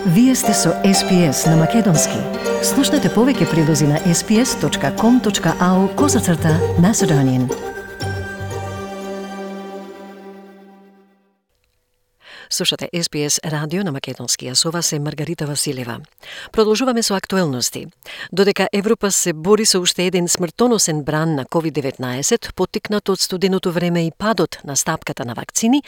Вие сте со SPS на Македонски. Слушнете повеќе прилози на sps.com.au/Macedonian. Слушате SPS радио на Македонски, а со вас е Маргарита Василева. Продолжуваме со актуелности. Додека Европа се бори со уште еден смртоносен бран на COVID-19, поттикнат од студеното време и падот на стапката на вакцини,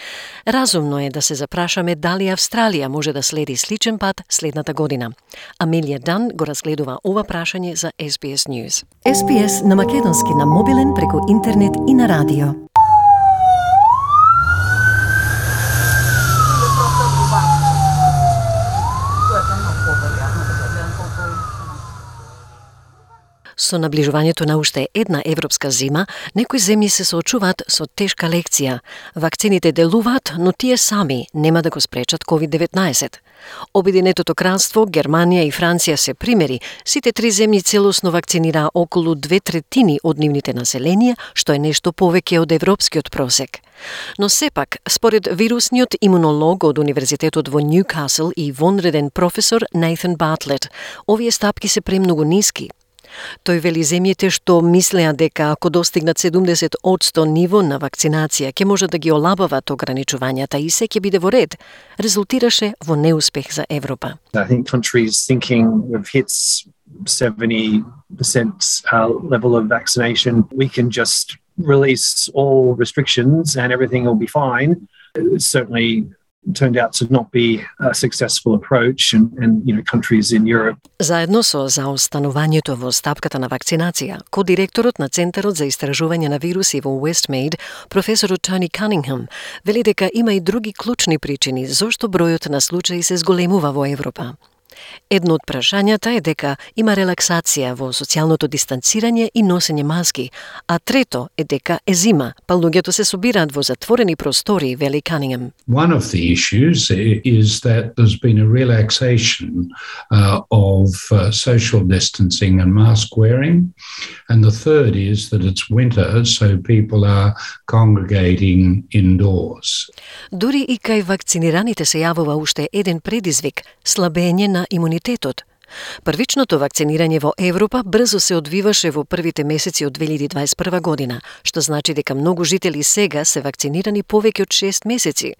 разумно е да се запрашаме дали Австралија може да следи сличен пат следната година. Амелија Дан го разгледува ова прашање за SBS News. SPS на Македонски на мобилен, преку интернет и на радио. Со наближувањето на уште една европска зима, некои земји се соочуваат со тешка лекција. Вакцините делуваат, но тие сами нема да го спречат COVID-19. Обединетото кралство, Германија и Франција се примери. Сите три земји целосно вакцинираа околу 2/3 од нивните населенија, што е нешто повеќе од европскиот просек. Но сепак, според вирусниот имунолог од Универзитетот во Ньюкасл и вонреден професор Нейтан Бартлет, овие стапки се премногу ниски. Тој вели земјите што мислеа дека ако достигнат 70% ниво на вакцинација ќе можат да ги олабават ограничувањата и се ќе биде во ред, резултираше во неуспех за Европа. I think countries thinking we've hit 70% level of vaccination, we can just release all restrictions and everything will be fine. It certainly turned out to not be a successful approach and countries in Europe. Заедно со заостанувањето во стапката на вакцинација, кодиректорот на Центарот за истражување на вируси во Westmead, професорот Тони Канингем, вели дека има и други клучни причини зошто бројот на случаи се зголемува во Европа. Едно од прашањата е дека има релаксација во социјалното дистанцирање и носење маски, а трето е дека е зима, па луѓето се собираат во затворени простори, вели Канингем. One of the issues is that there's been a relaxation of social distancing and mask wearing, and the third is that it's winter, so people are congregating indoors. Дури и кај вакцинираните се јавува уште еден предизвик – слабење на имунитетот. Првичното вакцинирање во Европа брзо се одвиваше во првите месеци од 2021 година, што значи дека многу жители сега се вакцинирани повеќе од 6 месеци.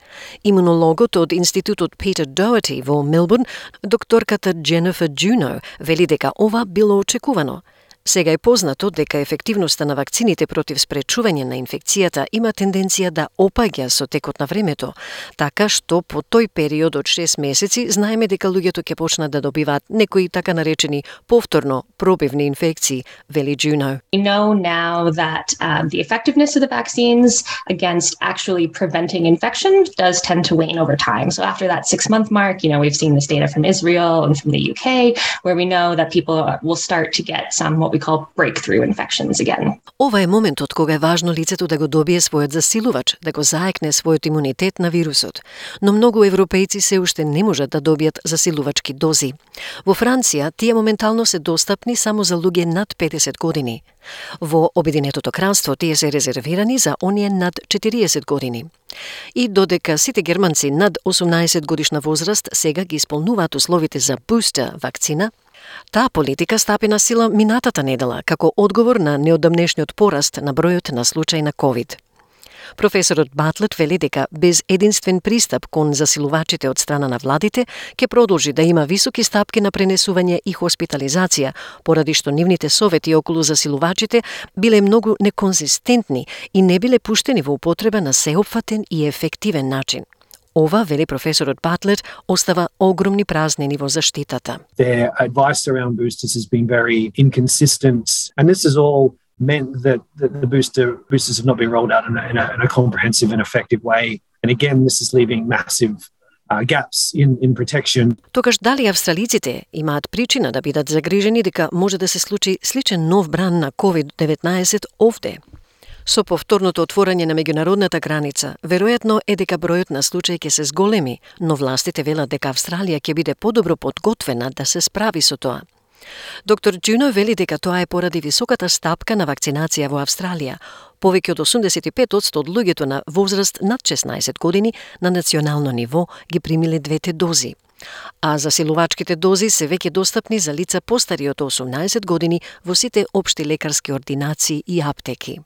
Имунологот од Институтот Peter Doherty во Мелбурн, докторката Jennifer Juneau, вели дека ова било очекувано. Сега е познато дека ефективноста на вакцините против спречување на инфекцијата има тенденција да опаѓа со текот на времето, така што по тој период од 6 месеци знаеме дека луѓето ќе почнат да добиваат некои така наречени повторно пробивни инфекции, вели Juneau. We know now that the effectiveness of the vaccines against actually preventing infection does tend to wane over time. So after that 6-month mark, we've seen this data from Israel and from the UK, where we know that people will start to get some what we call breakthrough infections again. Ова е моментот кога е важно лицето да го добие својот засилувач, да го заекне својот имунитет на вирусот. Но многу европејци се уште не можат да добијат засилувачки дози. Во Франција тие моментално се достапни само за луѓе над 50 години. Во Обединетото кралство тие се резервирани за оние над 40 години. И додека сите германци над 18 годишна возраст сега ги исполнуваат условите за бустер вакцина, таа политика стапи на сила минатата недела како одговор на неодамнешниот пораст на бројот на случаи на COVID. Професорот Бартлет вели дека без единствен пристап кон засилувачите од страна на владите ќе продолжи да има високи стапки на пренесување и хоспитализација, поради што нивните совети околу засилувачите биле многу неконзистентни и не биле пуштени во употреба на сеопфатен и ефективен начин. Ова, вели професорот Бартлет, остава огромни празнини во заштитата. Their advice around boosters has been very inconsistent, and this has all meant that the boosters have not been rolled out in a comprehensive and effective way. And again, this is leaving massive gaps in protection. Тогаш дали австралиците имаат причина да бидат загрижени дека може да се случи сличен нов бран на COVID-19 овде? Со повторното отворање на меѓународната граница, веројатно е дека бројот на случаи ќе се зголеми, но властите велат дека Австралија ќе биде подобро подготвена да се справи со тоа. Доктор Juneau вели дека тоа е поради високата стапка на вакцинација во Австралија. Повеќе од 85% од луѓето на возраст над 16 години на национално ниво ги примиле двете дози. А засилувачките дози се веќе достапни за лица постари од 18 години во сите општи лекарски ординации и аптеки.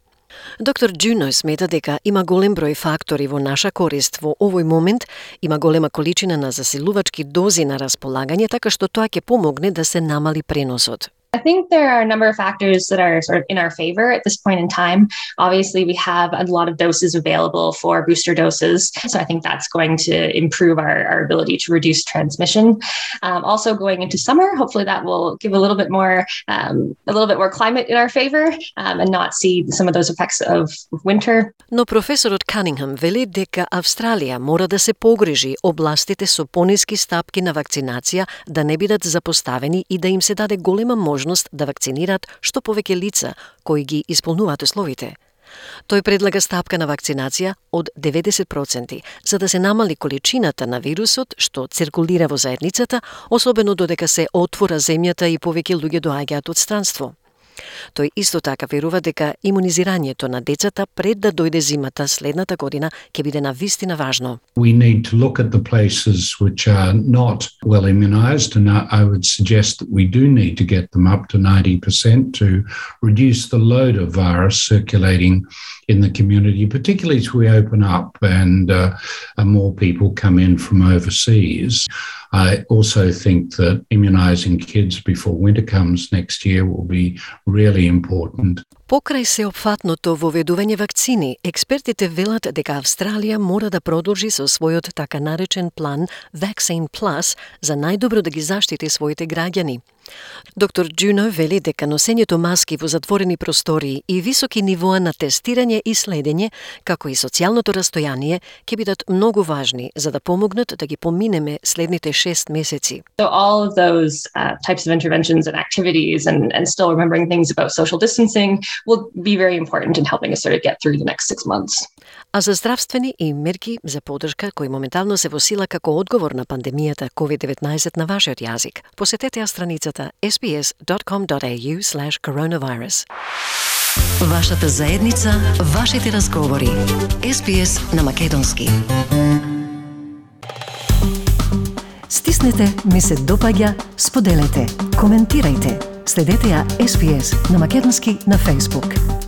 Доктор Джуно смета дека има голем број фактори во наша корист. Во овој момент има голема количина на засилувачки дози на располагање, така што тоа ќе помогне да се намали преносот. I think there are a number of factors that are sort of in our favor at this point in time. Obviously, we have a lot of doses available for booster doses, so I think that's going to improve our ability to reduce transmission. Also, going into summer, hopefully that will give a little bit more climate in our favor and not see some of those effects of winter. Но професорот Канингам вели дека Австралија мора да се погрижи областите со пониски стапки на вакцинација да не бидат запоставени и да им се даде голема можност да вакцинираат што повеќе лица кои ги исполнуваат условите. Тој предлага стапка на вакцинација од 90%, за да се намали количината на вирусот што циркулира во заедницата, особено додека се отвора земјата и повеќе луѓе доаѓаат од странство. Тој исто така верува дека имунизирањето на децата пред да дојде зимата следната година ќе биде навистина важно. We need to look at the places which are not well immunized, and I would suggest that we do need to get them up to 90% to reduce the load of virus circulating in the community, particularly as we open up and more people come in from overseas. I also think that immunizing kids before winter comes next year will be really important. Покрај сеопфатното воведување вакцини, експертите велат дека Австралија мора да продолжи со својот така наречен план Vaccine Plus за најдобро да ги заштити своите граѓани. Доктор Джуно вели дека носењето маски во затворени простории и високи нивоа на тестирање и следење, како и социјалното растојание, ќе бидат многу важни за да помогнат да ги поминеме следните 6 месеци. So all of those types of interventions and activities and still remembering things about social distancing will be very important in helping us sort of get through the next 6 months. А за здравствени и мерки за поддршка кои моментално се во сила како одговор на пандемијата COVID-19 на вашиот јазик, посетете ја страницата sbs.com.au/coronavirus. Вашата заедница, вашите разговори. SBS на македонски. Стиснете, ми се допаѓа, споделете, коментирајте. Следете ја SBS на македонски на Facebook.